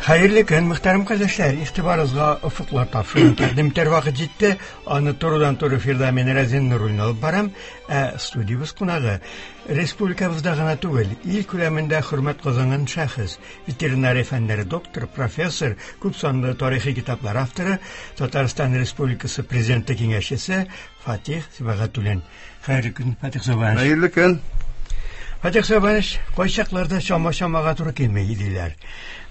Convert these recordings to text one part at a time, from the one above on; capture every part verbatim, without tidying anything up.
Хәерле көн, мөхтәрәм кардәшләр! Игътибарыгызга Офыклар тапшыруын тәкъдим итәр вакыт җитте. Аны турыдан-туры эфирда мин Рәзин Нуруллин алып барам. Ә студиябез кунагы республикабызда гына түгел, ил күләмендә хөрмәт казанган шәхес, ветеринария фәннәре докторы, профессор, күп санлы тарихи китаплар авторы, Татарстан Республикасы Президенты киңәшчесе Фатих Сибагатуллин. Хәерле көн, Фатих Сабанович. Хәерле көн. Фатих Сабанович, кайчакларда чама-чамага туры килми диләр.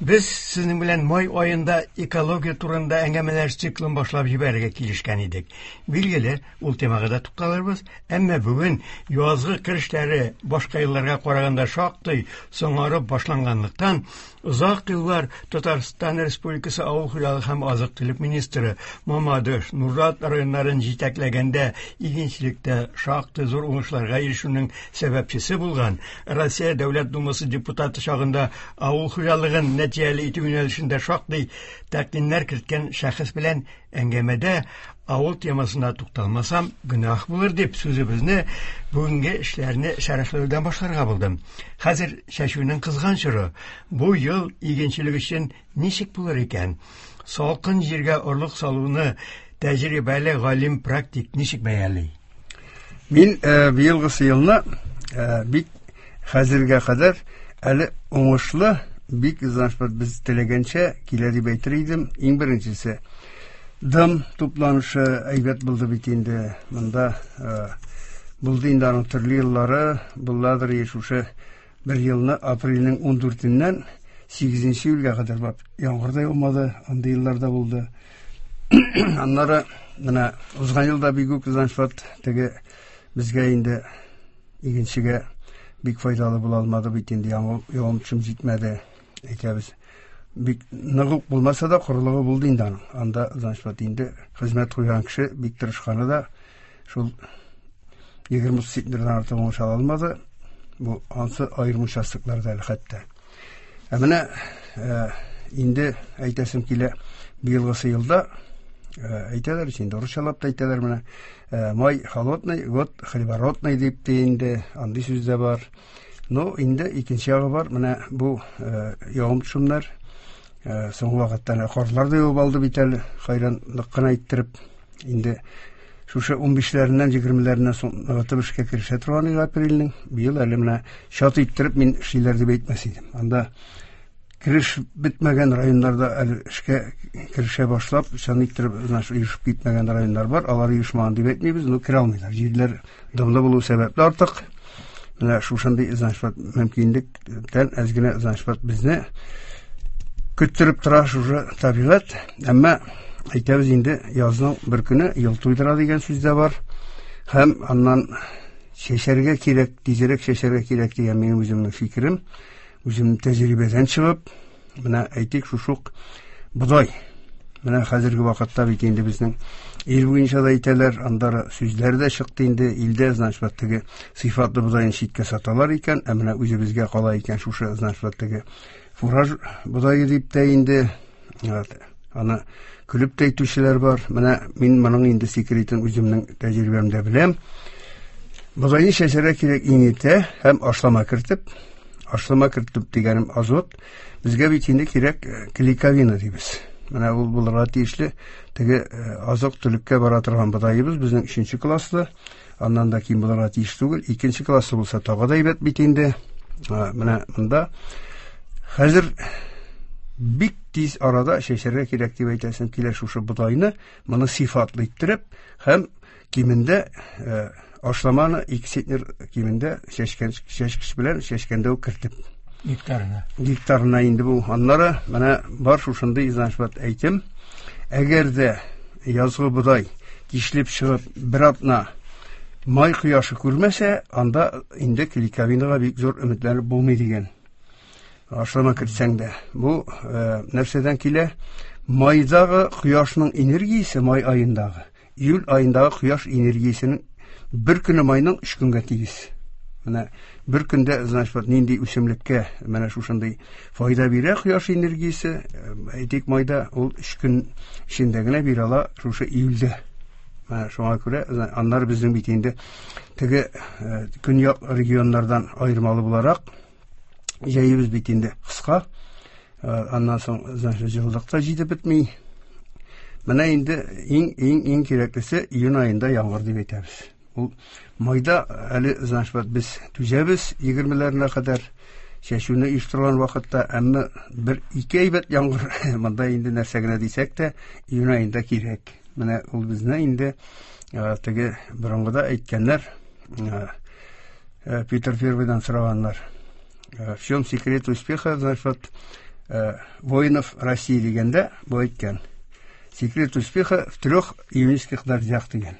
Без сезнең белән май аенда экология турында әңгәмәләр циклын башлап җибәрергә килешкән идек. Билгеле, ул темага да тукталырбыз, әмма бүген язгы кыр эшләре башка елларга караганда шактый соңарып башланганлыктан, озак еллар Татарстан Республикасы Авыл хуҗалыгы һәм азык-төлек министры, Мамадыш, Нурлат районнарын җитәкләгәндә игенчелектә шактый зур уңышларга ирешүнең сәбәпчесе булган, Россия Дәүләт Думасы депутаты чагында авыл хуҗалыгын нәтиҗәле итү юнәлешендә шактый тәкъдимнәр керткән шәхес белән әңгәмәдә авыл темасына тукталмасам, гөнаһ булыр дип сүзебезне бүгенге эшләрне шәрехләүдән башларга булдым. Хәзер чәчүнең кызган чоры. Бу ел игенчелек өчен ничек булыр икән? Салкын җиргә орлык салуны тәҗрибәле галим практик ничек бәяли? Мин э, быелгысы елны э, бик хәзергә кадәр әле уңышлы, бик, значит, без теләгәнчә килә дип әйтер идем. Иң беренчесе, дым тупланышы әйбәт булды бит инде. Монда э, булды инде аның төрле еллары, булладыр шушы бер елны апрельнең ундүртеннән сигезенче июльгә кадәр барып яңгыр да яумады, андый елларда булды. Аннары менә узган елда бик үк, значит, теге безгә инде, игенчегә бик файдалы була алмады бит инде, явым төшем җитмәде, әйтәбез. Бик нык ук булмаса да, корылыгы булды инде аның. Анда, значит, инде хезмәт куйган кеше бик тырышканы да шул егерме центнердан артык уңыш ала алмады. Бу ансы аерым участокларда әле хәтта. Ә менә э, инде әйтәсем килә, быелгысы елда э, әйтәләр инде, урысчалап та әйтәләр менә, э, май холодный, год хлебородный дип тә инде андый сүз дә бар. Но инде икенче ягы бар, менә бу явым төшемнәр соңгы вакытта карлар да явып алды бит әле, хайран нык кына иттереп. Инде шушы унбишләреннән, егермеләреннән соң ныгытып эшкә керешә торган иде апрельнең. Быел әле менә чат иттереп мин эшлиләр дип әйтмәс идем. Анда кереш бетмәгән районнарда әле эшкә керешә башлап, чын иттереп, значит, оешып китмәгән районнар бар. Алар оешмаган дип әйтмибез, но керә алмыйлар. Җирләр дымлы булу сәбәпле артык. Менә шушындый, значит, мөмкинлектән әз генә, значит, безне көттереп тора шушы табигать. Әмма әйтәбез инде, язның бер көне ел туйдыра дигән сүз дә бар. Һәм аннан чәчәргә кирәк, тизрәк чәчәргә кирәк дигән минем үземнең фикерем. Үземнең тәҗрибәдән чыгып, менә әйтик, шушы ук бодай. Менә хәзерге вакытта бит инде безнең ил буенча да әйтәләр, андары сүзләр дә чыкты инде, илдә, значит, теге сыйфатлы бодайны читкә саталар икән, ә менә үзебезгә кала икән шушы, значит, теге фураж бодае дип тә инде, аны көлеп тә әйтүчеләр бар. Менә мин моның инде секретын үземнең тәҗрибәмдә беләм. Бодайны чәчәргә кирәк иң иртә һәм ашлама кертеп, ашлама кертеп дигәнем азот. Безгә бит инде кирәк клейковина дибез. Менә ул булырга тиешле теге азык-төлеккә бара торган бодаебыз безнең өченче класслы, аннан да ким булырга тиеш түгел. Икенче класслы булса тагы да әйбәт бит инде. Менә монда хәзер бик тиз арада чәчәргә кирәк дип әйтәсем килә шушы бодайны, моны сыйфатлы иттереп һәм кимендә ашламаны ике центнер кимендә чәчкән, чәчкеч белән чәчкәндә үк кертеп. Гектарына. Гектарына инде бу. Аннары менә бар шушындый, значит, әйтем. Әгәр дә язгы бодай тишлеп чыгып бер атна май кояшы күрмәсә, анда инде клейковинага бик зур өметләнеп булмый дигән. Ашлама кертсәң дә. Бу э, нәрсәдән килә? Майдагы кояшның энергиясе, май аендагы, июль аендагы кояш энергиясенең бер көне майның өч көнгә тигез. Менә бер көндә, значит, нинди үсемлеккә менә шушындый файда бирә кояш энергиясе, әйтик, майда, ул өч көн эчендә генә бирә ала шушы июльдә. Менә шуңа күрә, аннары безнең бит инде теге көньяк регионнардан аермалы буларак, җәебез бит инде кыска. Аннан соң, значит, җылылык та җитеп бетми. Менә инде иң иң иң кирәклесе июнь аенда яңгыр дип әйтәбез. Ул майда әле, значит, без түзәбез егермеләренә кадәр чәчүне оештырган вакытта, әмма бер ике әйбәт яңгыр монда инде нәрсә генә дисәк тә, июнь аенда кирәк. Менә ул безне инде теге борынгыда әйткәннәр, Питер Первыйдан сораганнар. В чем секрет успеха, значит, воинов России дигәндә, бу әйткән. Секрет успеха в трех июньских дождях дигән.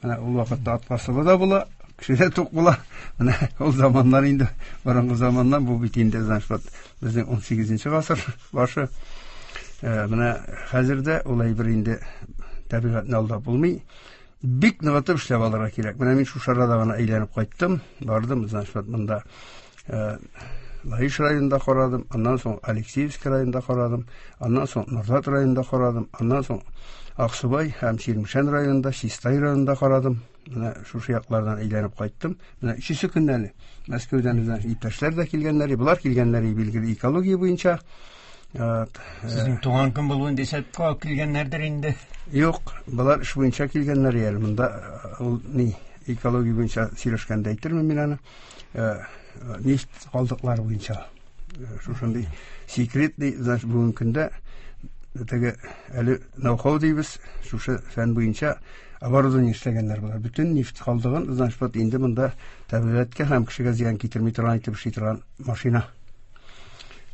Менә ул вакытта ат басылы да була, кеше дә тук була. Менә ул заманнар инде, борынгы заманнан бу бит инде, значит, безнең ун сигезенче гасыр башы. Менә хәзер дә ул әйбер инде табигатьне алдап булмый. Бик ныгытып эшләп алырга кирәк. Менә мин шушы арада гына әйләнеп кайттым. Бардым, значит, монда Лаеш районында карадым, аннан соң Алексеевск районында карадым, аннан соң Нурлат районында карадым, аннан соң Аксубай һәм Чирмешән районында, Чистай районында карадым. Менә шушы яклардан әйләнеп кайттым. Менә өченче көнне әле Мәскәүдән иптәшләр дә килгәннәр, болар килгәннәр билгеле экология буенча. Сезнең туган көн булуын дисәп килгәннәрдер инде. Юк, болар эш буенча килгәннәр әле. Монда ул ни экология буенча сөйләшкәндә әйтермен мин аны. Нефть калдыклары буенча. Шушындый секретный, значит, бүгенге көндә теге әле ноу-хау дибез, шушы фән буенча оборудование эшләгәннәр болар. Бөтен нефть калдыгын, значит, инде монда табигатькә һәм кешегә зыян китерми торган итеп эшли торган машина.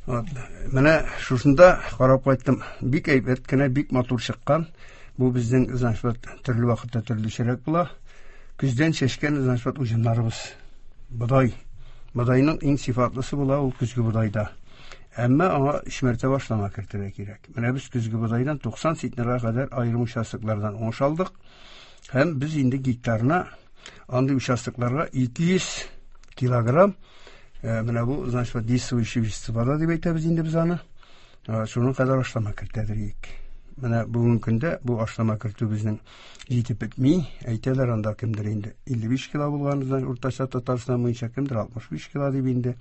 Вот. Менә шушында карап кайттым. Бик әйбәт кенә, бик матур чыккан. Бу безнең, значит, төрле вакытта төрлечәрәк була. Көздән чәчкән, значит, уҗымнарыбыз. Бодай. Бодайның иң сифатлысы була ул көзге бодайда. Әмма аңа өч мәртәбә ашлама кертергә кирәк. Менә без көзге бодайдан туксан центнерга кадәр аерым участоклардан уңыш алдык. Һәм без инде гектарына андый участокларга ике йөз килограмм, менә бу, значит, действующий вещество дип әйтәбез инде без аны. Шуның кадәр ашлама кертәдер идек. Менә бүгенге көндә бу ашлама кертү безнең җитеп бетми. Әйтәләр анда кемдер инде илле биш кило булган, значит, уртача Татарстан буенча кемдер алтмыш биш кило дип инде.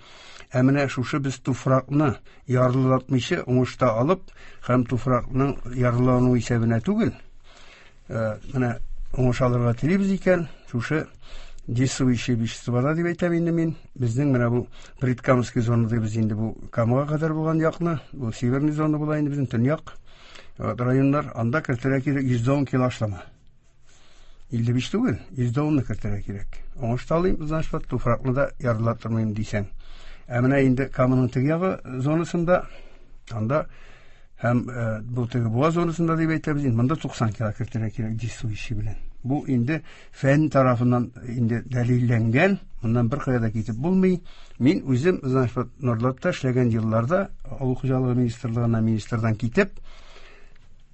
Ә менә шушы без туфракны ярлылатмыйча уңышта алып һәм туфракның ярлылану исәбенә түгел, менә уңыш алырга телибез икән, шушы действующие вещества дип әйтәм инде мин. Безнең менә бу Предкамский зона дибез инде, бу Камага кадәр булган якны, бу северный зона була инде безнең төньяк районнар, анда кертергә кирәк йөз ун кило ашлама. Илле биш түгел, йөз унны кертергә кирәк. Уңыш та алыйм, значит, туфракны да ярлаттырмыйм дисәң. Ә менә инде Каманың теге ягы зонасында, анда һәм бу теге Буа зонасында дип әйтәбез инде, монда туксан кило кертергә кирәк действующий белән. Бу инде фән тарафыннан инде дәлилләнгән, моннан бер кая да китеп булмый. Мин үзем, значит, Нурлатта эшләгән елларда авыл хуҗалыгы министрлыгына министрдан китеп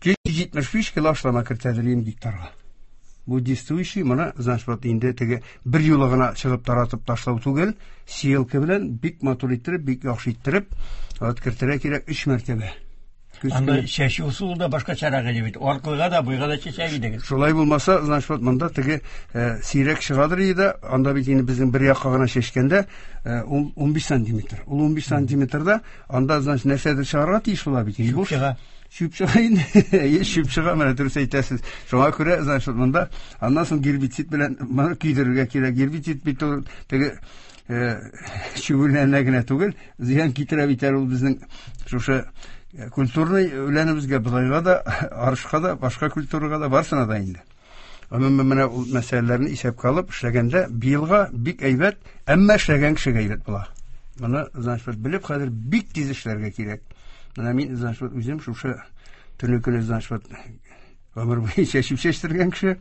йөз җитмеш биш кило ашлама кертәдер идем гектарга. Бу действующий, моны, значит, вот инде теге бер юлы гына чыгып таратып ташлау түгел, сеялка белән бик матур иттереп, бик яхшы иттереп, вот кертергә кирәк өч мәртәбә. Анда чәчү ысулы да башкачарак иде бит. Аркылыга да, буйга да чәчә идегез. Шулай булмаса, значит, вот монда теге сирәк чыгадыр иде, анда бит инде безнең бер якка гына чәчкәндә ун биш сантиметр. Ул ун биш сантиметрда анда, значит, нәрсәдер чыгарга тиеш була бит. Чүп чыга. Чүп чыга инде. Е, чүп чыга, менә дөрес әйтәсез. Шуңа күрә, значит, монда аннан соң гербицид белән моны көйдерергә кирәк. Гербицид бит ул теге чүгүләнә генә түгел, зыян китерә бит әле ул безнең шушы культурный үләнебезгә, бодайга да, арышка да, башка культурага да, барсына да инде. Гомумән, менә ул мәсьәләләрне исәпкә алып эшләгәндә быелга бик әйбәт, әмма эшләгән кешегә әйбәт була. Моны, значит, белеп хәзер бик тиз эшләргә кирәк. Менә мин, значит, үзем шушы төне көне, значит, гомер буе чәчеп чәчтергән кеше,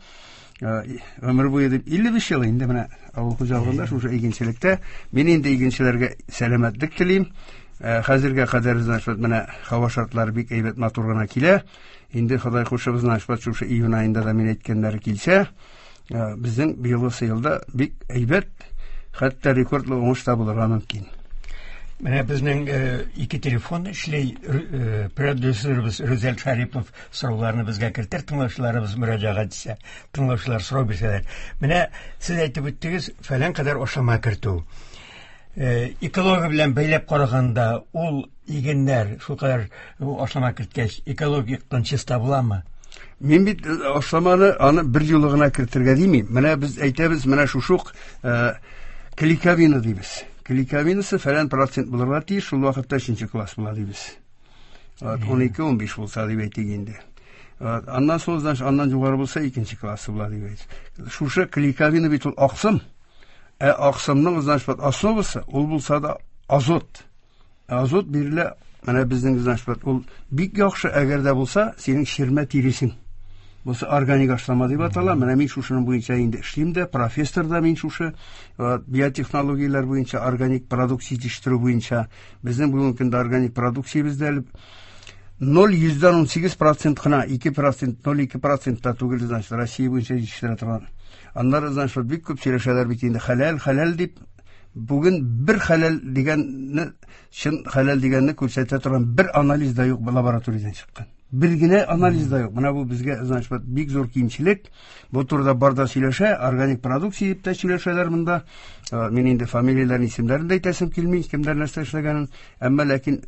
гомер буе дип илле биш ел инде менә авыл хуҗалыгында, шушы игенчелектә. Мин инде игенчеләргә сәламәтлек телим. Хәзергә кадәр, значит, менә һава шартлары бик әйбәт, матур гына килә. Инде Ходай кушып, значит, шушы июнь аенда да мин әйткәннәре килсә, безнең быелгы елда бик әйбәт, хәтта рекордлы уңыш та булырга мөмкин. Менә безнең ике телефон эшли, продюсерыбыз Рүзәл Шарипов сорауларны безгә кертер, тыңлаучыларыбыз мөрәҗәгать итсә, тыңлаучылар сорау бирсәләр. Менә сез әйтеп үттегез, фәлән кадәр ашлама кертү. Экология белән бәйләп караганда, ул игеннәр шулкадәр ашлама керткәч, экологик яктан чиста буламы? Мин бит ашламаны аны бер юлы гына кертергә димим. Менә без әйтәбез, менә шушук клейковина дибез. Клейковинасы фәлән процент булырга тиеш, шул вакытта өченче класс була дибез. ун ике ун биш булса дип әйтик инде. Аннан соң, значит, аннан югары булса икенче классы була дип әйтик. Шушы клейковина бит ул аксым. Ә аксымның, значит, основасы ул булса да азот. Азот бирелә, менә безнең, значит, ул бик яхшы, әгәр дә булса, синең ширмә тиресең. Бусы органик ашлама дип атала. Менә мин шушының буенча инде эшлим дә, профессор да мин шушы биотехнологияләр буенча, органик продукция җитештерү буенча. Безнең бүгенге көндә органик продукциябез дә әле ноль йөздән ун сигез процент кына, ике процент, ноль ике процент та түгел, значит, Россия буенча җитештерә торган. Аннары, значит, бик күп сөйләшәләр бит инде, хәләл, хәләл дип. Бүген бер хәләл дигәнне, чын хәләл дигәнне күрсәтә торган бер анализ да юк лабораториядән чыккан. Бер генә анализ да юк. Менә бу безгә, значит, бик зур кимчелек. Бу турыда бар да сөйләшә, органик продукция дип тә сөйләшәләр монда. Мин инде фамилияләрен, исемнәрен дә әйтәсем килми, кемнәр нәрсә эшләгәнен. Әмма ләкин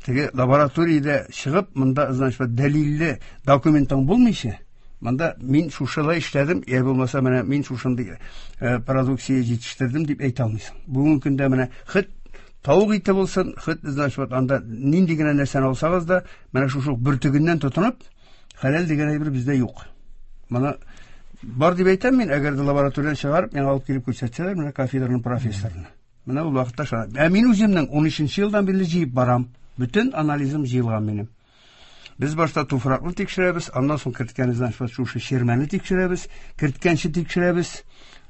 теге лабораториядә чыгып, монда, значит, дәлилле документың булмыйча, монда мин шушылай эшләдем, я булмаса менә мин шушындый продукция җитештердем дип әйтә алмыйсың. Бүгенге көндә менә хет тавык ите булсын, хет, значит, анда нинди генә нәрсәне алсагыз да, менә шушы бөртегеннән тотынып, хәләл дигән әйбер бездә юк. Моны бар дип әйтәм мин, әгәр дә лабораториядән чыгарып, миңа алып килеп күрсәтсәләр, менә кафедраның профессорына. Менә ул вакытта шуны. Ә мин үземнең ун өченче елдан бирле җыеп барам. Бөтен анализым җыелган минем. Без башта туфракны тикшерәбез, аннан соң керткән, значит, шушы ширмәне тикшерәбез, керткәнче тикшерәбез.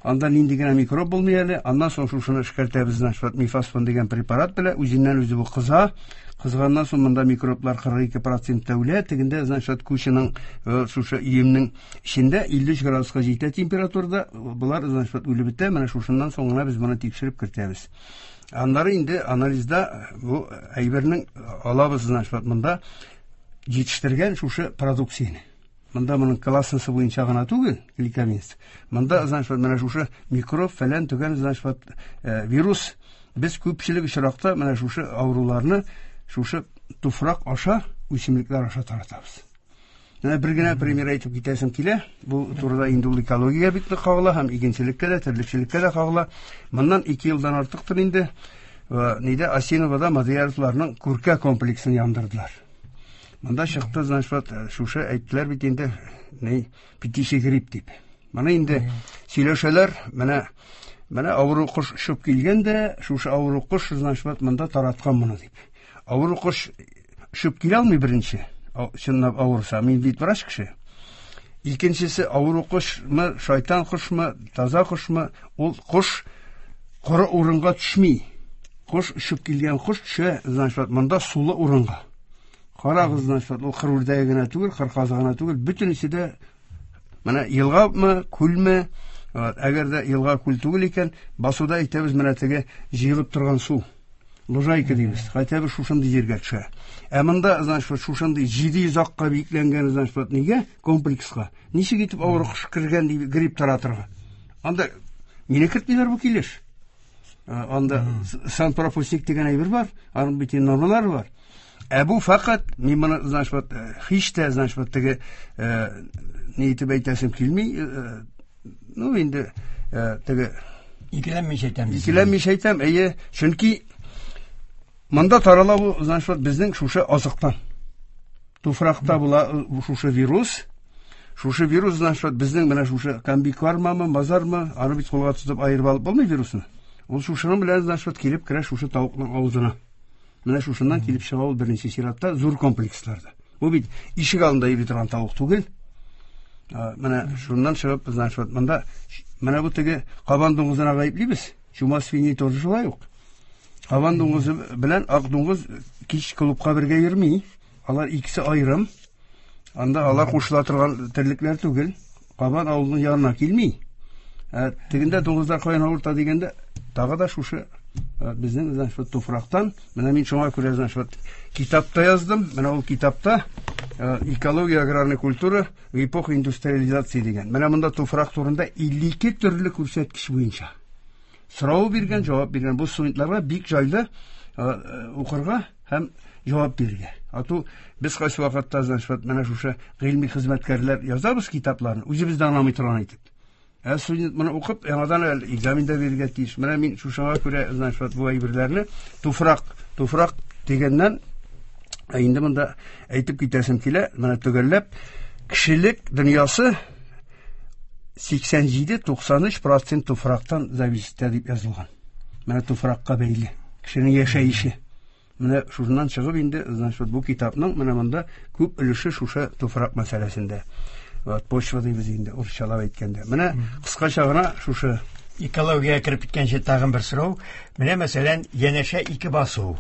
Анда нинди генә микроб булмый әле, аннан соң шушыны эшкәртәбез, значит, мифасфон дигән препарат белән, үзеннән үзе бу кыза. Кызганнан соң монда микроблар кырык ике процентта үлә, тегендә, значит, күченең, шушы өемнең эчендә илле өч градуска җитә температурада, болар, значит, үлеп бетә. Менә шушыннан соң гына без моны тикшереп кертәбез. Аннары инде анализда бу әйбернең алабыз, значит, монда җитештергән шушы продукцияне. Монда моның классы буенча гына түгел, гликаминс. Монда, значит, менә шушы микроб фәлән төгән, значит, вирус. Без күпчелек очракта менә шушы авыруларны шушы туфрак аша, үсемлекләр аша таратабыз. Менә бер генә пример әйтеп китәсем килә. Бу турыда инде ул экология бик нык кагыла һәм игенчелеккә дә, терлекчелеккә дә кагыла. Моннан ике елдан артыктыр инде, нидә Осиновода Мадияровларның күркә комплексын яндырдылар. Монда чыкты, значит, шушы әйттеләр бит инде, ни, птичий грипп дип. Моны инде сөйләшәләр, менә, менә авыру кош очып килгән дә, шушы авыру кош, значит, монда тараткан моны дип. Авыру кош очып килә алмый беренче, чынлап авырса, мин бит врач кеше. Икенчесе, авыру кошмы, шайтан кошмы, таза кошмы, ул кош коры урынга төшми. Кош очып килгән кош төшә, значит, монда сулы урынга. Карагыз, значит, ул кыр үрдәге генә түгел, кыр казы гына түгел, бөтенесе дә менә елгамы, күлме, әгәр дә елга күл түгел икән, басуда әйтәбез, менә теге җыелып торган су, лужайка дибез, хотя бы шушындый җиргә төшә. Ә монда, значит, шушындый җиде йөз акка бикләнгән, значит, нигә комплекска? Ничек итеп авыру кош кергән дип грипп таратырга? Анда мине кертмиләр бу килеш. Анда санпропускник дигән әйбер бар, аның бит нормалары бар. Ә бу фақат, мин моны, значит, һич тә, значит, теге, ни итеп әйтәсем килми, ну, инде, теге Икеләнмичә әйтәм дисез. Икеләнмичә әйтәм, әйе, чөнки монда тарала бу, значит, безнең шушы азыктан. Туфракта була шушы вирус. Шушы вирус, значит, безнең менә шушы комбикормамы, базармы, аны бит кулга тотып аерып алып булмый вирусны. Ул шушының белән, значит, килеп керә шушы тавыкның авызына. Менә шушыннан килеп чыга ул беренче чиратта зур комплексларда. Бу бит ишек алдында йөри торган тавык түгел. Менә шуннан чыгып, значит, монда менә бу теге кабан дуңгызына гаеплибез. Чума свиньи тоже шулай ук. Кабан дуңгызы белән ак дуңгыз кич клубка бергә йөрми. Алар икесе аерым. Анда алар кушыла торган терлекләр түгел. Кабан авылының янына килми. Ә тегендә дуңгызлар каян авырта дигәндә, тагы да шушы безнең, значит, туфрактан. Менә мин шуңа күрә, значит, китапта яздым. Менә ул китапта экология, аграрная культура в эпоху индустриализации дигән. Менә монда туфрак турында илле ике төрле күрсәткеч буенча. Сорау биргән, җавап биргән. Бу студентларга бик җайлы укырга һәм җавап бирергә. Ату без кайсы вакытта, значит, менә шушы гыйльми хезмәткәрләр язабыз китапларны, үзебез дә аңламый торган итеп. Ә студент моны укып, яңадан әле экзамен дә бирергә тиеш. Менә мин шушыңа күрә, значит, бу әйберләрне туфрак, туфрак дигәннән инде монда әйтеп китәсем килә, менә төгәлләп, кешелек дөньясы сиксән җиде туксан өч процент туфрактан зависит дип язылган. Менә туфракка бәйле кешенең яшәеше. Менә шуннан чыгып инде, значит, бу китапның менә монда күп өлеше шушы туфрак мәсьәләсендә. Вот почва дибез инде урысчалап әйткәндә. Менә кыскача гына шушы экологиягә кереп киткәнче тагын бер сорау. Менә мәсәлән, янәшә ике басу.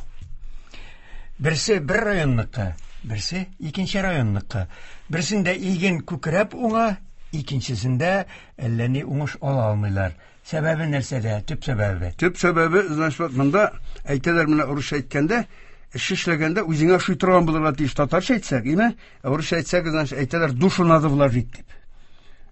Берсе бер районныкы, берсе икенче районныкы. Берсендә иген күкрәп уңа, икенчесендә әллә ни уңыш ала алмыйлар. Сәбәбе нәрсәдә? Төп сәбәбе. Төп сәбәбе, значит, монда әйтәләр менә урысча әйткәндә, эш эшләгәндә үзеңә ошый торган булырга тиеш. Татарча әйтсәк, име? Урысча әйтсәк, значит, әйтәләр душу надо вложить дип.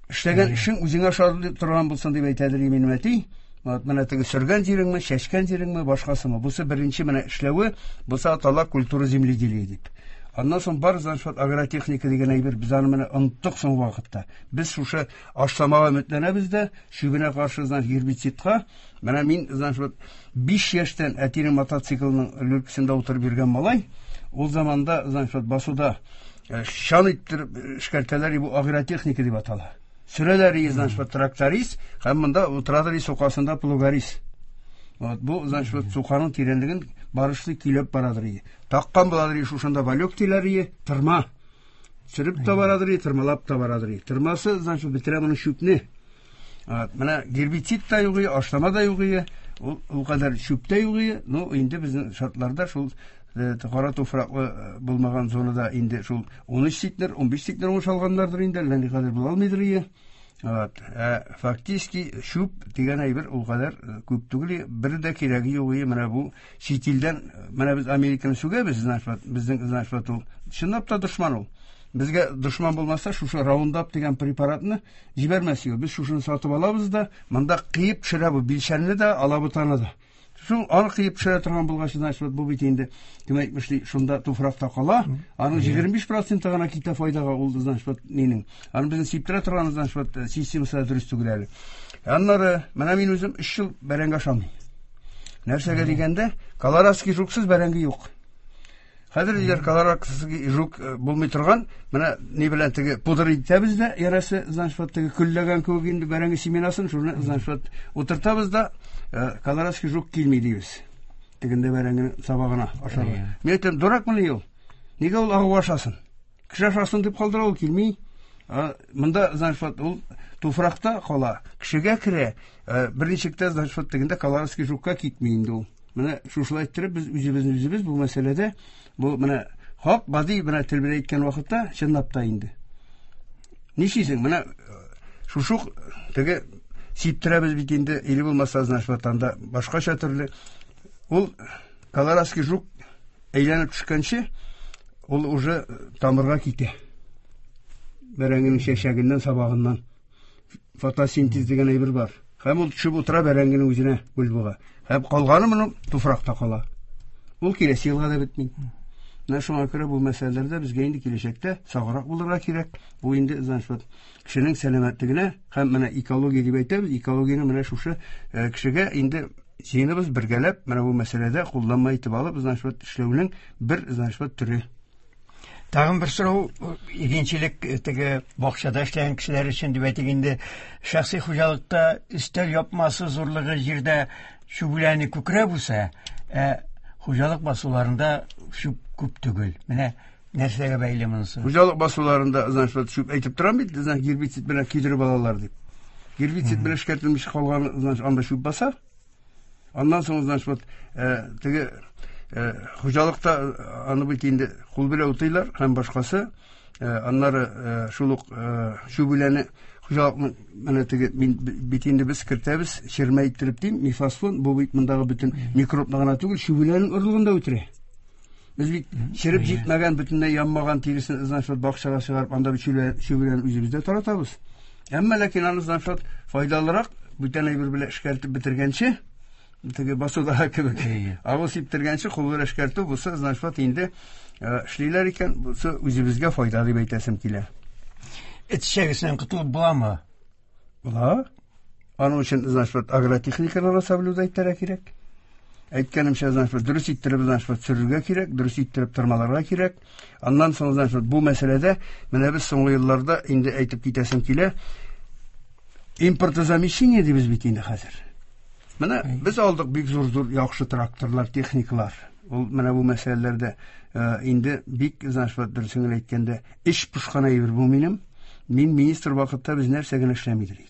Эшләгән эшең үзеңә ошый торган булсын дип әйтәдер минем әти. Вот менә теге сөргән җиреңме, чәчкән җиреңме, башкасымы. Бусы беренче менә эшләве, бусы атала культура земледелия дип. Аннан соң бар, значит, агротехника дигән әйбер, без аны менә оныттык соңгы вакытта. Без шушы ашламага өметләнәбез дә, чүбенә каршы, значит, гербицидка. Менә мин, значит, биш яшьтән әтинең мотоциклының люлькасында утырып йөргән малай, ул заманда, значит, басуда шан иттереп эшкәртәләр, бу агротехника дип атала. Сөрәләр, значит, тракторист, һәм монда утырадыр сукасында плугарист. Вот бу, значит, суканың тирәнлеген барышлы көйләп барадыр. Таккан буладыр шушында валек диләр, тырма. Сөреп тә барадыр, тырмалап та барадыр. Тырмасы, значит, бетерә моны чүпне. Вот менә гербицид та юк, ашлама да юк, ул ул кадәр чүп тә юк. Ну, инде безнең шартларда шул кара туфраклы булмаган зонада инде шул ун өч центнер, ун биш центнер уңыш алганнардыр инде, әллә никадәр була алмыйдыр. Вот, ә фактически чүп дигән әйбер ул кадәр күп түгел, бер дә кирәге юк. Менә бу чит илдән, менә без Американы сүгәбез, значит, безнең, значит, ул чынлап та дошман ул. Безгә дошман булмаса, шушы Раундап дигән препаратны җибәрмәс иде. Без шушыны сатып алабыз да, монда кыеп төшерә бу билчәнне дә, алабутаны да. Шул аны кыеп төшерә торган булгач, значит, бу бит инде, кем әйтмешли, шунда туфракта кала, аның егерме биш проценты гына китә файдага ул, значит, нинең. Аны безнең сиптерә торган, значит, системасы да дөрес түгел әле. Аннары, менә мин үзем өч ел бәрәңге ашамыйм. Нәрсәгә дигәндә, колорадский жуксыз бәрәңге юк. Хәзер диләр, колорадский жук булмый торган, менә ни белән теге пудра итәбез дә, ярасы, значит, теге көлләгән кебек инде бәрәңге семенасын, шуны, значит, утыртабыз да, колорадский жук килми дибез. Тегендә бәрәңгенең сабагына ашарга. Мин әйтәм, дуракмыни ул? Нигә ул агу ашасын? Кеше ашасын дип калдыра, ул килми. Монда, значит, ул туфракта кала, кешегә керә, берничек тә, значит, тегендә колорадский жукка китми инде ул. Менә шушылай иттереп без үзебезне үзебез бу мәсьәләдә, бу менә хак гади менә тел белән әйткән вакытта чынлап та инде. Нишлисең? Менә шушы теге сиптерәбез бит инде, или булмаса, значит, анда башкача төрле. Ул колорадский жук әйләнеп төшкәнче, ул уже тамырга китә. Бәрәңгенең чәчәгеннән, сабагыннан. Фотосинтез дигән әйбер бар. Һәм ул төшеп утыра бәрәңгенең үзенә, бульбага. Һәм калганы моның туфракта кала. Ул киләсе елга да бетми. Менә шуңа күрә бу мәсьәләләрдә безгә инде киләчәктә саграк булырга кирәк. Бу инде, значит, кешенең сәламәтлегенә һәм менә экология дип әйтәбез, экологияне менә шушы кешегә инде җыеныбыз бергәләп менә бу мәсьәләдә кулланма итеп алып, значит, эшләүнең бер, значит, төре. Тагын бер сорау, игенчелек теге бакчада эшләгән кешеләр өчен дип әйтик инде, шәхси хуҗалыкта өстәл япмасы зурлыгы җирдә чүп үләне күкрәп үсә, ә хуҗалык басуларында чүп күп түгел. Менә нәрсәгә бәйле монысы? Хуҗалык басуларында, значит, чүп әйтеп торам бит, значит, гербицид белән кидереп алалар дип. Гербицид белән эшкәртелмеш калган, значит, анда чүп баса. Аннан соң, значит, теге хуҗалыкта аны бит инде кул белән утыйлар һәм башкасы. Аннары шул ук чүп үләне хуҗалыкның менә теге мин бит инде без кертәбез, чирмә иттереп дим, мифосфон, бу бит мондагы бөтен микробны гына түгел, чүп үләнең орлыгын да үтерә. Без бит череп җитмәгән, бөтенләй янмаган тиресен, значит, бакчага чыгарып, анда чүп үләнен үзебездә таратабыз. Әмма ләкин аны, значит, файдалырак Бүтән әйбер белән эшкәртеп бетергәнче, теге басуда кебек. Агу сиптергәнче кул белән эшкәртү булса, значит, вот инде эшлиләр икән, бусы үзебезгә файда дип әйтәсем килә. Эт эчәгесеннән котылып буламы? Була. Аның өчен, значит, вот агротехниканы соблюдать итәргә кирәк. Әйткәнемчә, значит, вот дөрес иттереп, значит, вот сөрергә кирәк, дөрес иттереп тырмаларга кирәк. Аннан соң, значит, вот бу мәсьәләдә менә без соңгы елларда инде әйтеп китәсем килә. Импортозамещение дибез бит инде хәзер. Менә без алдык бик зур-зур яхшы тракторлар, техникалар. Ул менә бу мәсьәләләрдә инде бик, значит, вот дөресен генә әйткәндә, эш пошкан әйбер бу минем. Мин министр вакытта без нәрсә генә эшләми идек.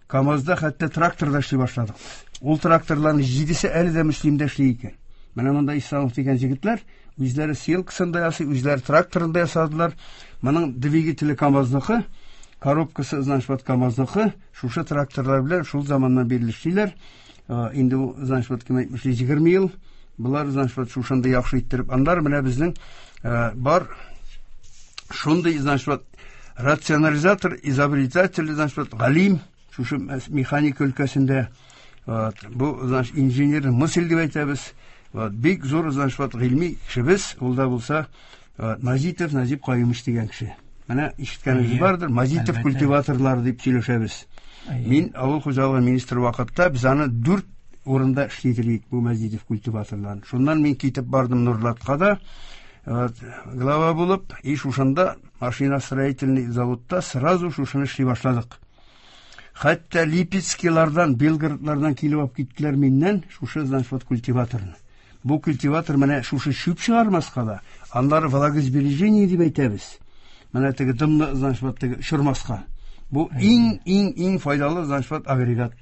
КАМАЗда хәтта тракторда эшли башладык. Ул тракторларның җидесе әле дә Мөслимдә эшли икән. Менә монда Исламов дигән егетләр үзләре сеялкасын да ясый, үзләре тракторын да ясадылар. Моның двигателе КАМАЗныкы, коробкасы, значит, вот КАМАЗныкы. Шушы тракторлар белән шул заманнан бирле эшлиләр. Инде бу, значит, вот кем әйтмешли, егерме ел. Булар, значит, вот шушында яхшы иттереп. Аннары менә безнең бар шундый, значит, вот рационализатор, изобретатель, значит, вот галим, шушы механика өлкәсендә, вот, бу, значит, инженер мысль дип әйтәбез. Вот, бик зур, значит, вот гыйльми кешебез, ул да булса, вот, Мазитов Назип Каюмович дигән кеше. Менә ишеткәнегез бардыр, Мазитов культиваторлары дип сөйләшәбез. Мин авыл хуҗалыгы министры вакытта без аны дүрт урында эшлидек бу Мазитов культиваторларын. Шуннан мин китеп бардым Нурлатка да, вот, глава булып, и шушында машиностроительный заводта сразу шушыны эшли башладык. Хәтта Липецкилардан, Белгородлардан килеп алып киттеләр миннән шушы, значит, вот культиваторны. Бу культиватор менә шушы чүп чыгармаска да, аннары влагосбережение дип әйтәбез. Менә теге дымны, значит, вот теге очырмаска. Бу иң, иң, иң файдалы, значит, вот агрегат.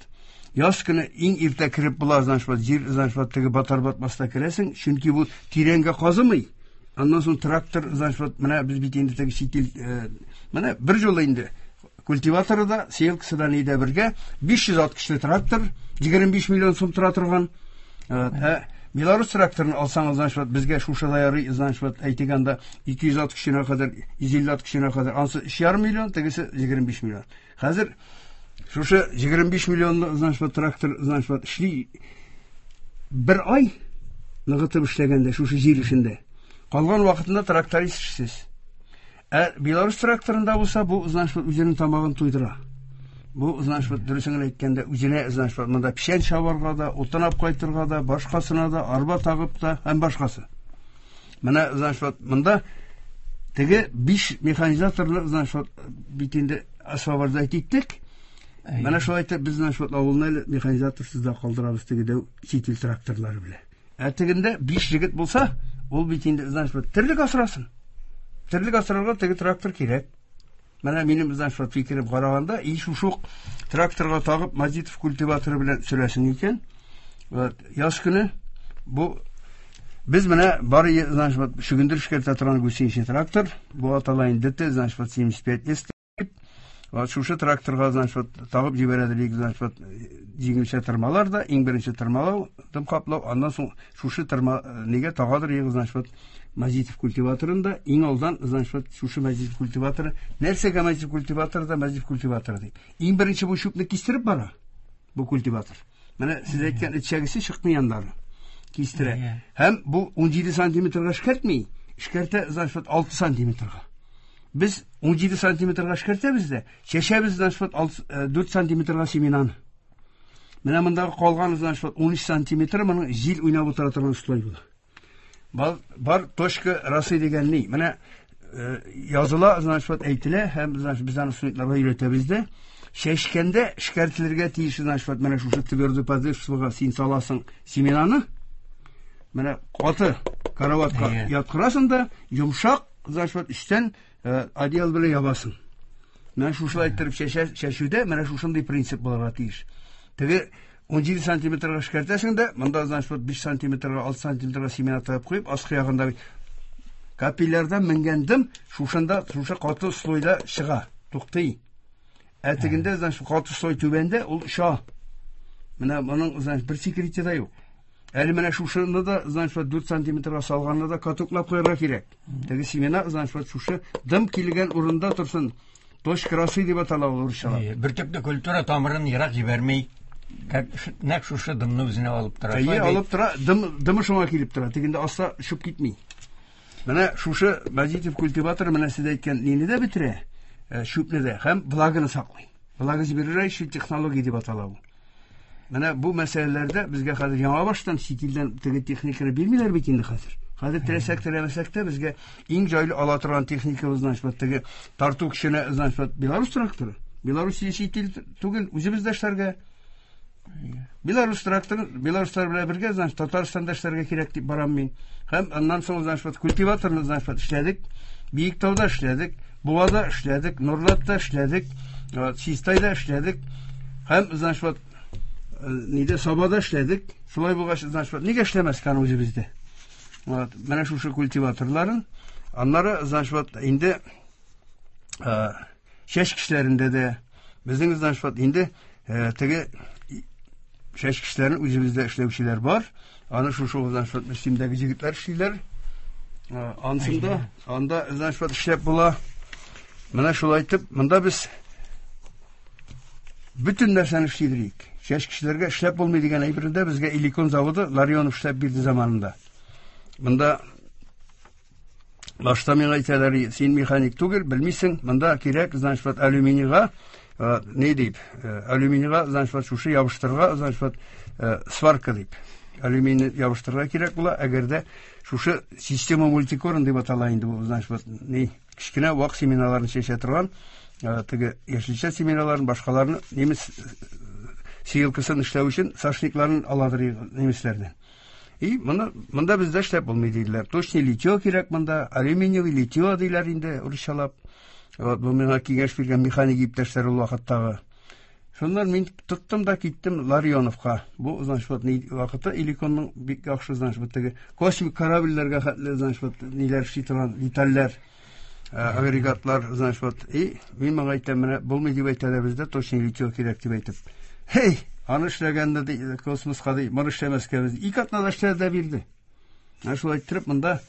Яз көне иң иртә кереп була, значит, вот җир, значит, вот теге батар батмаста керәсең, чөнки бу тирәнгә казымый. Аннан соң трактор, значит, вот менә без бит инде теге чит ил, менә бер юлы инде культиваторы да, сеялкасы да нидә бергә, биш йөз ат көчле трактор, егерме биш миллион сум тора торган. Ә Беларусь тракторын алсаңыз, значит, вот безгә шушыда ярый, значит, вот әйтик анда ике йөз ат көченә кадәр, йөз илле ат көченә кадәр, ансы өч ярым миллион, тегесе егерме биш миллион. Хәзер шушы егерме биш миллионлы, значит, вот трактор, значит, вот эшли бер ай ныгытып эшләгәндә, шушы җир эшендә. Калган вакытында тракторист эшсез. Ә Беларусь тракторында булса, бу, значит, вот үзенең тамагын туйдыра. Бу, значит, вот дөресен генә әйткәндә, үзенә, значит, вот монда печән чабарга да, утын алып кайтырга да, башкасына да, арба тагып та һәм башкасы. Менә, значит, вот монда теге биш механизаторны, значит, вот бит инде освобождать иттек. Менә шулай итеп без, значит, вот авылны әле механизаторсыз да калдырабыз теге дәү чит ил тракторлары белән. Ә тегендә биш егет булса, ул бит инде, значит, вот терлек асрасын. Терлек асрарга теге трактор кирәк. Менә минем, значит, вот фикерем караганда, и шушы тракторга тагып Мазитов культиваторы белән сөрәсең икән. Вот, яз көне бу без менә бары, значит, вот чөгендер эшкәртә торган гусеничный трактор, бу атала инде Д Т, значит, вот семьдесят пять С. Вот шушы тракторга, значит, вот тагып җибәрәдер, значит, вот җиңелчә тырмалар да, иң беренче тырмалау, дым каплау, аннан соң шушы тырма нигә тагадыр, значит, вот Мазитов культиваторында иң алдан, значит, вот шушы Мазитов культиваторы, нәрсәгә Мазитов культиваторы да Мазитов культиваторы ди. Иң беренче бу чүпне кистереп бара бу культиватор. Менә сез әйткән эчәгесе чыкмый аннары. Кистерә. Һәм бу ун җиде сантиметрга эшкәртми, эшкәртә, значит, вот алты сантиметрга. Без ун җиде сантиметрга эшкәртәбез дә, чәчәбез, значит, вот алты, э, дүрт сантиметрга семенаны. Менә мондагы калган, значит, вот ун өч сантиметр моның җил уйнап утыра торган слой була. Бар, бар точка росы дигән ни? Менә, э, языла, значит, вот әйтелә һәм, значит, без аны студентларга өйрәтәбез дә. Чәчкәндә эшкәртелергә тиеш, значит, вот менә шушы твердый подошвага син саласың семенаны. Менә каты караватка Әйе. яткырасың да, йомшак, значит, вот өстән, э, одеял белән ябасың. Менә шушылай иттереп чәчә, чәчүдә менә шушындый принцип булырга тиеш. Теге ун җиде сантиметрга эшкәртәсең дә, монда, значит, вот биш сантиметрга, алты сантиметрга семена тыгып куеп, аскы ягында капиллярдан менгән дым шушында, шушы каты слойда чыга, туктый. Ә тегендә, значит, каты слой түбәндә, ул оча. Менә моның, значит, бер секреты да юк. Әле менә шушыны да, значит, вот дүрт сантиметрга салганны да катоклап куярга кирәк. Теге семена, значит, вот шушы дым килгән урында торсын. Точка росы дип атала ул урысчалап. Әйе, бөртекле культура тамырын ерак җибәрми. Нәкъ шушы дымны үзенә алып тора. Әйе, алып тора, дым, дымы шуңа килеп тора. Тегендә аста шып китми. Менә шушы Мәҗитов культиваторы менә сез әйткән нине дә бетерә, чүпне дә һәм влаганы саклый. Влагосберегающая технология дип атала бу. Менә бу мәсьәләләрдә безгә хәзер яңа баштан чит илдән теге техниканы бирмиләр бит инде хәзер. Хәзер теләсәк теләмәсәк тә безгә иң җайлы ала торган техникабыз, значит, теге тарту көченә, значит, Беларусь тракторы. Беларусь чит ил түгел, үзебездә эшләргә. Беларусь тракторы, белоруслар белән бергә, значит, Татарстанда эшләргә кирәк дип барам мин. Һәм аннан соң, значит, культиваторны, значит, эшләдек. Биектауда эшләдек, Буада эшләдек, Нурлатта эшләдек, Чистайда эшләдек. Һәм, значит, нидә Сабада эшләдек. Шулай булгач, значит, нигә эшләмәскә аны үзебездә? Вот, менә шушы культиваторларын. Аннары, значит, инде чәчкечләрендә дә безнең, значит, инде теге чәчкечләрен үзебездә эшләүчеләр бар. Аны шушы, значит, Мөслимдәге егетләр эшлиләр. Ансында, анда, значит, эшләп була. Менә шулай итеп, монда без бөтен нәрсәне эшлидек. Чәчкечләргә эшләп булмый дигән әйбердә безгә Иликон заводы Ларионов эшләп бирде заманында. Монда башта миңа әйтәләр, син механик түгел, белмисең, монда кирәк, значит, алюминийга, не дип, алюминийга, значит, шушы ябыштырырга, значит, сварка дип. Алюминий ябыштырырга кирәк була, әгәр дә шушы система мультикорн дип атала инде бу, значит, не кечкенә вак семеналарны чәчә торган, теге яшелчә семеналарын, башкаларны немец сеялкасын эшләү өчен сашникларын аладыр немецләрдән. И моны монда бездә эшләп булмый диделәр. Точный литье кирәк монда, алюминиевый литье диләр инде урысчалап. Вот бу миңа киңәш биргән механик иптәшләр ул вакыттагы. Шуннан мин тоттым да киттем Ларионовка. Бу, значит, вот вакыты Иликонның бик яхшы, значит, вот теге космик корабльләргә хәтле, значит, вот ниләр эшли торган детальләр, агрегатлар, значит, вот. И мин моңа әйтәм, менә булмый дип әйтәләр бездә, точный литье кирәк дип әйтеп. Хей, аны эшләгәндә ди, космоска ди, моны эшләмәскә без ике атнада эшләде дә бирде. Менә шулай иттереп монда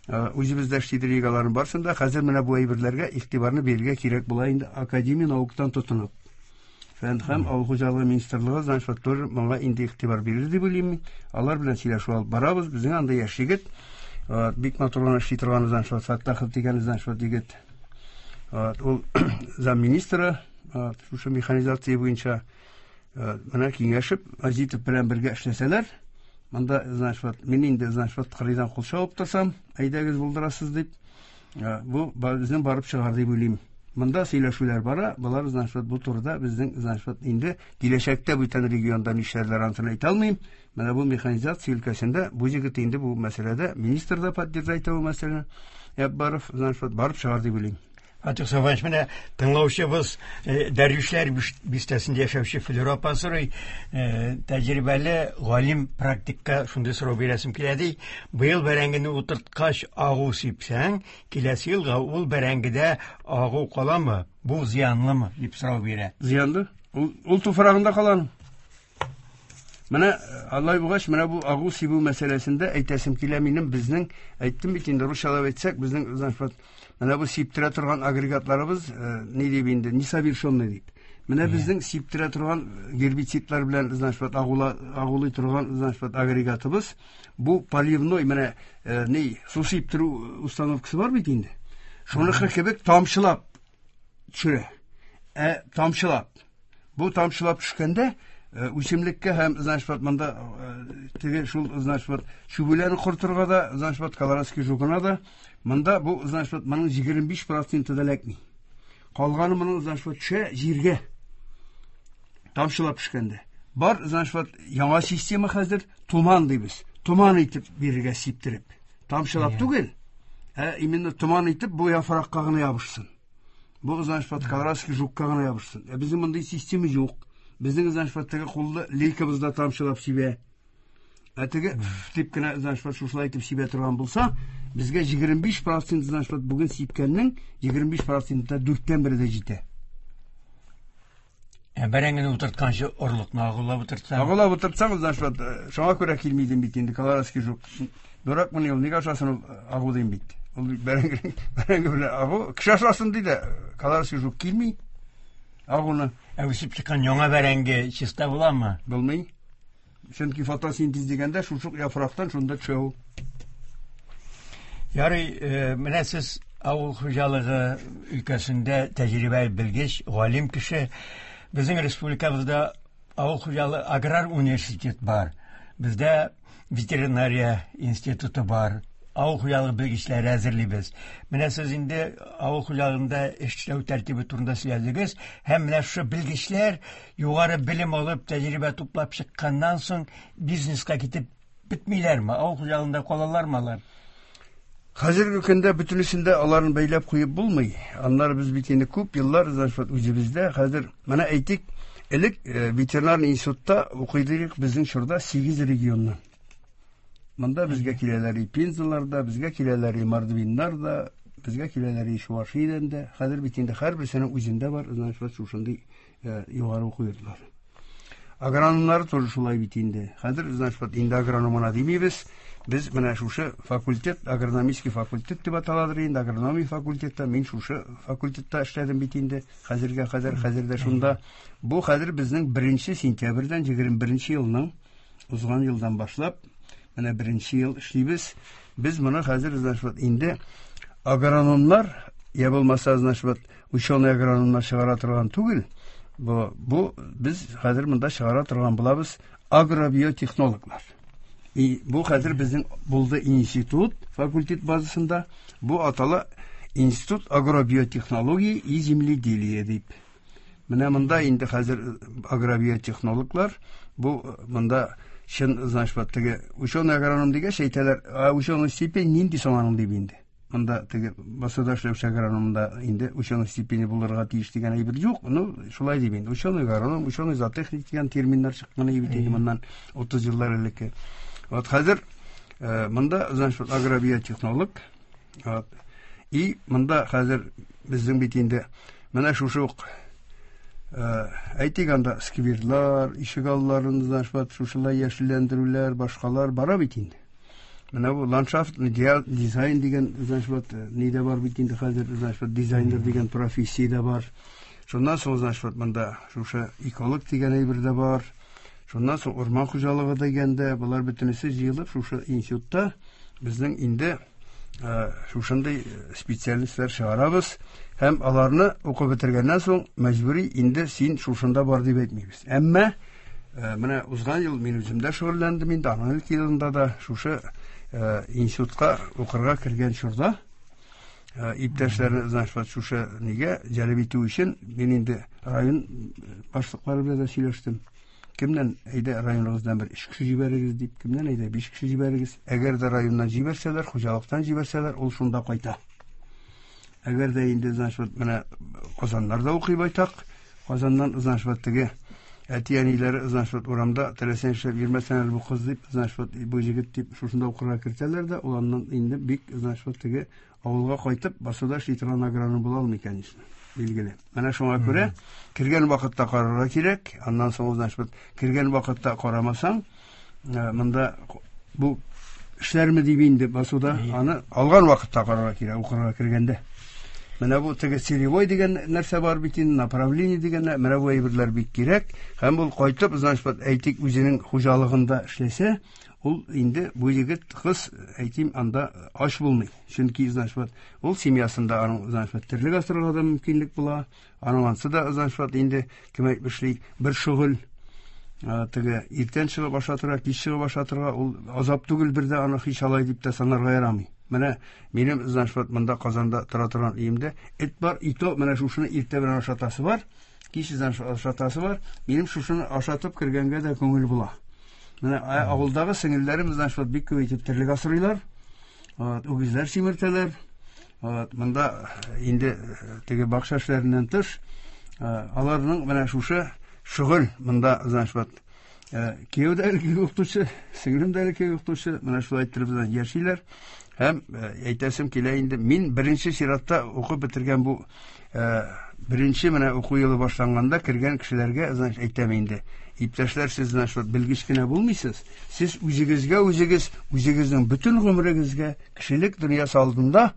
үзебездә эшли торганнарын барсын да, хәзер менә бу әйберләргә игътибарны бирергә кирәк була инде академия науктан тотынып. Фән һәм авыл хуҗалыгы министрлыгы, значит, тоже моңа инде игътибар бирер дип уйлыйм. Алар белән сөйләшеп алып барабыз. Безнең анда яшь егет, бик матур гына эшли торган, значит, Фәттахов дигән, значит, егет. Ул замминистры, шушы механизация буенча менә киңәшеп, Азитов белән бергә эшләсәләр, монда, значит, мин инде, значит, кырыйдан кул чабып торсам, әйдәгез булдырасыз дип, бу безнең барып чыгар дип уйлыйм. Монда сөйләшүләр бара, болар, значит, бу турыда безнең, значит, инде киләчәктә бүтән регионда нишләрләр антын әйтә алмыйм. Менә бу механизация өлкәсендә бу егет инде бу мәсьәләдә министр да поддержать итә бу мәсьәләне. Яббаров, значит, барып чыгар дип уйлыйм. Фатих Сафаевич, менә тыңлаучыбыз Дәрвишләр бистәсендә яшәүче Флюра апа сорый, тәҗрибәле галим практикка шундый сорау бирәсем килә ди. Быел бәрәңгене утырткач агу сипсәң, киләсе елга ул бәрәңгедә агу каламы? Бу зыянлымы дип сорау бирә. Зыянлы. Ул, ул туфрагында калан. Менә алай булгач, менә бу агу сибү мәсьәләсендә әйтәсем килә минем, безнең әйттем бит инде русчалап әйтсәк, безнең, значит, менә бу сиптерә торган агрегатларыбыз, ни дип инде, несовершенный дип. Менә безнең сиптерә торган гербицидлар белән, значит, агула, агулый торган, значит, агрегатыбыз, бу поливной, менә ни, су сиптерү установкасы бар бит инде. Шуныкы кебек тамчылап төшерә. Ә тамчылап. Бу тамчылап төшкәндә үсемлеккә һәм, значит, монда теге шул, значит, чүбүләрне кортырга да, значит, колорадский жукына да, монда бу, значит, моның егерме биш проценты да эләкми. Калганы моның, значит, төшә җиргә. Тамчылап төшкәндә. Бар, значит, яңа система хәзер туман дибез. Туман итеп бирергә сиптереп. Тамчылап түгел, ә именно туман итеп бу яфракка гына ябышсын. Бу, значит, колорадский жукка гына ябышсын. Ә безнең мондый система юк. Безнең, значит, теге куллы лейкабызда тамчылап сибә. Ә теге дип кенә, значит, шушылай итеп сибә торган булса, безгә егерме биш процент, значит, бүген сипкәннең егерме биш проценты дүрттән бере дә җитә. Ә бәрәңгене утыртканчы орлыкны агулап утыртсаң? Агулап утыртсаң, значит, шуңа күрә килми дим бит инде, колорадский жук. Дурак мыни ул, нигә ашасын ул агу дим бит. Ул бәрәңге, бәрәңге белән агу, кеше ашасын ди дә, колорадский жук килми. Агуны. Ә үсеп чыккан яңа бәрәңге чиста буламы? Булмый. Чөнки фотосинтез дигәндә шушы яфрактан шунда төшә ул. Ярый, менә сез авыл хуҗалыгы өлкәсендә тәҗрибәле белгеч, галим кеше. Безнең республикабызда авыл хуҗалыгы аграр университет бар. Бездә ветеринария институты бар. Авыл хуҗалыгы белгечләре әзерлибез. Менә сез инде авыл хуҗалыгында эшләү тәртибе турында сөйләдегез. Һәм менә шушы белгечләр югары белем алып, тәҗрибә туплап чыкканнан соң бизнеска китеп бетмиләрме? Авыл хуҗалыгында калалармы алар? Хәзерге көндә бөтенесендә аларны бәйләп куеп булмый. Аннары без бит инде күп еллар үзебездә хәзер менә әйтик, элек ветеринар институтта укыйдык безнең чорда сигез регионнан. Монда безгә киләләр и Пензалар да, безгә киләләр и Мордвиннар да, безгә киләләр и Чувашиядән дә. Хәзер бит инде һәрберсенең үзендә бар, значит, шушындый югары уку йортлары. Агрономнар тоже шулай бит инде. Хәзер, значит, инде агрономына димибез. Без менә шушы факультет, агрономический факультет дип аталадыр инде, агрономия факультетта, мин шушы факультетта эшләдем бит инде. Хәзергә хәзер, хәзер дә шунда. Бу хәзер безнең беренче сентябрьдән егерме беренче елның узган елдан башлап, менә беренче ел эшлибез. Без моны хәзер, значит, инде агрономнар, я булмаса, значит, ученый агрономнар чыгара торган түгел. Бу, бу без хәзер монда чыгара торган булабыз агробиотехнологлар. И бу хәзер безнең булды институт, факультет базасында. Бу атала Институт агробиотехнологии и земледелия дип. Менә монда инде хәзер агробиотехнологлар, бу монда чын, значит, теге ученый агроном дигәч әйтәләр, а ученый степень нинди соң аның дип инде. Монда теге басуда эшләүче агрономда инде ученый степени булырга тиеш дигән әйбер юк. Ну, шулай дип инде. Ученый агроном, ученый зоотехник дигән терминнар чыккан бит инде моннан утыз еллар элек. Вот хәзер монда, значит, агробиотехнолог. Вот. И монда хәзер безнең бит инде менә шушы ук әйтик анда скверлар, ишегалларын, значит, шушылай яшелләндерүләр, башкалар бара бит инде. Менә бу ландшафт дизайн дигән, значит, ни дә бар бит инде хәзер, значит, дизайнер дигән профессия дә бар. Шуннан соң, значит, монда шушы эколог дигән әйбер дә бар. Шуннан соң урман хуҗалыгы дигәндә, болар бөтенесе җыелып шушы институтта безнең инде шушындый специалистлар чыгарабыз һәм аларны укып бетергәннән соң мәҗбүри инде син шушында бар дип әйтмибез. Әмма менә узган ел мин үзем дә шөгыльләндем инде, аның элек елында да шушы институтка укырга кергән чорда иптәшләрне, значит, шушы нигә җәлеп итү өчен мин инде район башлыклары белән дә сөйләштем. Кемнән әйдә районыгыздан бер өч кеше җибәрегез дип, кемнән әйдә биш кеше җибәрегез. Әгәр дә районнан җибәрсәләр, хуҗалыктан җибәрсәләр, ул шунда кайта. Әгәр дә инде, значит, менә Казаннарда укый байтак, Казаннан, значит, теге әти-әниләре, значит, урамда теләсә нишләп йөрмәсәң әле бу кыз дип, значит, бу егет дип шушында укырга кертәләр дә, ул аннан инде бик, значит, теге авылга кайтып, басуда эшли торган агроном була алмый, конечно. Билгеле. Менә шуңа күрә кергән вакытта карарга кирәк, аннан соң, значит, кергән вакытта карамасаң, монда бу эшләрме дип инде басуда, аны алган вакытта карарга кирәк, укырга кергәндә. Менә бу теге целевой дигән нәрсә бар бит инде, направление дигән, менә бу әйберләр бик кирәк. Һәм ул кайтып, значит, әйтик, үзенең хуҗалыгында эшләсә, ул инде бу егет, кыз, әйтим, анда ач булмый. Чөнки, значит, ул семьясында аның, значит, терлек асрарга да мөмкинлек була. Аның ансы да, значит, инде кем әйтмешли, бер шөгыль. Теге иртән чыгып ашатырга, кич чыгып ашатырга, ул азап түгел, бер дә аны һич алай дип тә санарга ярамый. Менә минем, значит, монда Казанда тора торган өемдә эт бар, и то менә шушыны иртә белән ашатасы бар, кич, значит, ашатасы бар. Минем шушыны ашатып кергәнгә дә күңел була. Менә авылдагы сеңелләрем, значит, бик күп итеп терлек асрыйлар. Вот, үгезләр симертәләр. Вот, монда инде теге бакча эшләреннән тыш, аларның менә шушы шөгыль монда, значит, кияү дә элеккеге укытучы, сеңлем дә элеккеге укытучы, менә шулай иттереп яшиләр. Һәм әйтәсем килә инде, мин беренче чиратта укып бетергән бу беренче менә уку елы башланганда кергән кешеләргә, значит, әйтәм инде, иптәшләр, сез, значит, белгеч кенә булмыйсыз, сез үзегезгә үзегез, үзегезнең бөтен гомерегезгә кешелек дөньясы алдында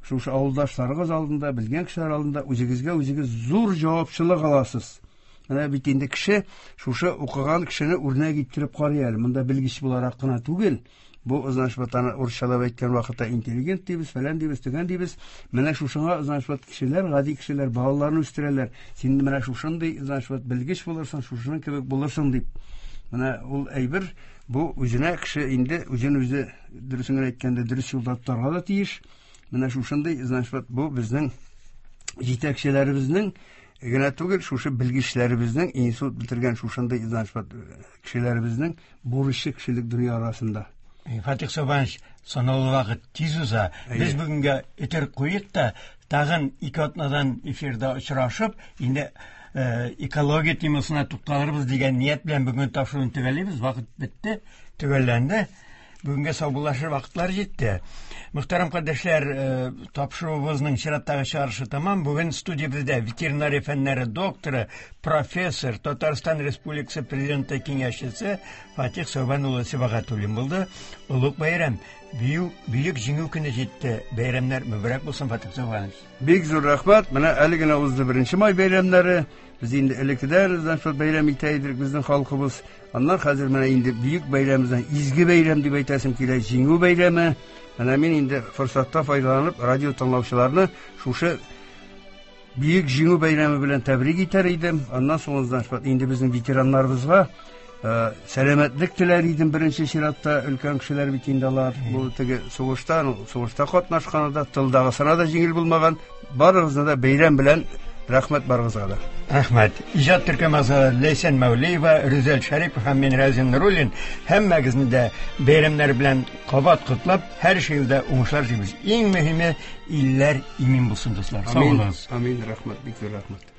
шушы авылдашларыгыз алдында, белгән кешеләр алдында үзегезгә үзегез зур җавапчылык аласыз. Менә бит инде кеше шушы укыган кешене үрнәк иттереп карый әле. Монда белгеч буларак кына түгел. Бу значит, аны урысчалап әйткән вакытта интеллигент дибез, фәлән дибез, төгән дибез. Менә шушыңа значит, кешеләр, гади кешеләр балаларын үстерәләр. Син менә шушындый значит, белгеч булырсың, шушының кебек булырсың дип. Менә ул әйбер бу үзенә кеше инде үзен үзе дөресен генә әйткәндә дөрес юлда тотарга да тиеш. Менә шушындый значит, бу безнең җитәкчеләребезнең генә түгел, шушы белгечләребезнең, институт бетергән шушындый значит, кешеләребезнең бурычы кешелек дөнья арасында. Фатих Сабанович, санаулы вакыт тиз уза. Без бүгенгә өтер куйык та, тагын ике атнадан эфирда очрашып, инде экология темасына тукталырбыз дигән ният белән бүген тапшыруны төгәллибез. Вакыт бетте, төгәлләнде. Бүгенгә саубуллашыр вакытлар җитте. Мөхтәрәм кардәшләр, тапшыруыбызның чираттагы чыгарышы тәмам. Бүген студиябездә ветеринария фәннәре докторы, профессор, Татарстан Республикасы Президенты киңәшчесе Фатих Сәүбән улы Сибагатуллин булды. Олуг бәйрәм, бөек, бөек җиңү көне җитте. Бәйрәмнәр мөбарәк булсын, Фатих Сәүбәнович. Бик зур рәхмәт. Менә әле генә узды беренче май бәйрәмнәре. Без инде элеккедән шул бәйрәм итә идек безнең халкыбыз. Аннан хәзер менә инде бөек бәйрәмебездән изге бәйрәм дип әйтәсем килә, җиңү бәйрәме. Менә мин инде форсатта файдаланып радио тыңлаучыларны шушы бөек җиңү бәйрәме белән тәбрик итәр идем. Аннан соң инде безнең ветераннарыбызга сәламәтлек теләр идем беренче чиратта. Өлкән кешеләр бит инде алар. Бу теге сугышта, сугышта катнашканы да, тылдагысына да җиңел булмаган. Барыгызны да бәйрәм белән рәхмәт барыгызга да. Рәхмәт. Иҗат төркеме әгъзалары Ләйсән Мәүлиева, Рүзәл Шәрипов һәм мин Разин Нуруллин һәммәгезне дә бәйрәмнәр белән кабат котлап, һәр эшегездә уңышлар телибез. Иң мөһиме, илләр имин булсын, дуслар. Сау булыгыз. Амин, рәхмәт, бик зур рәхмәт.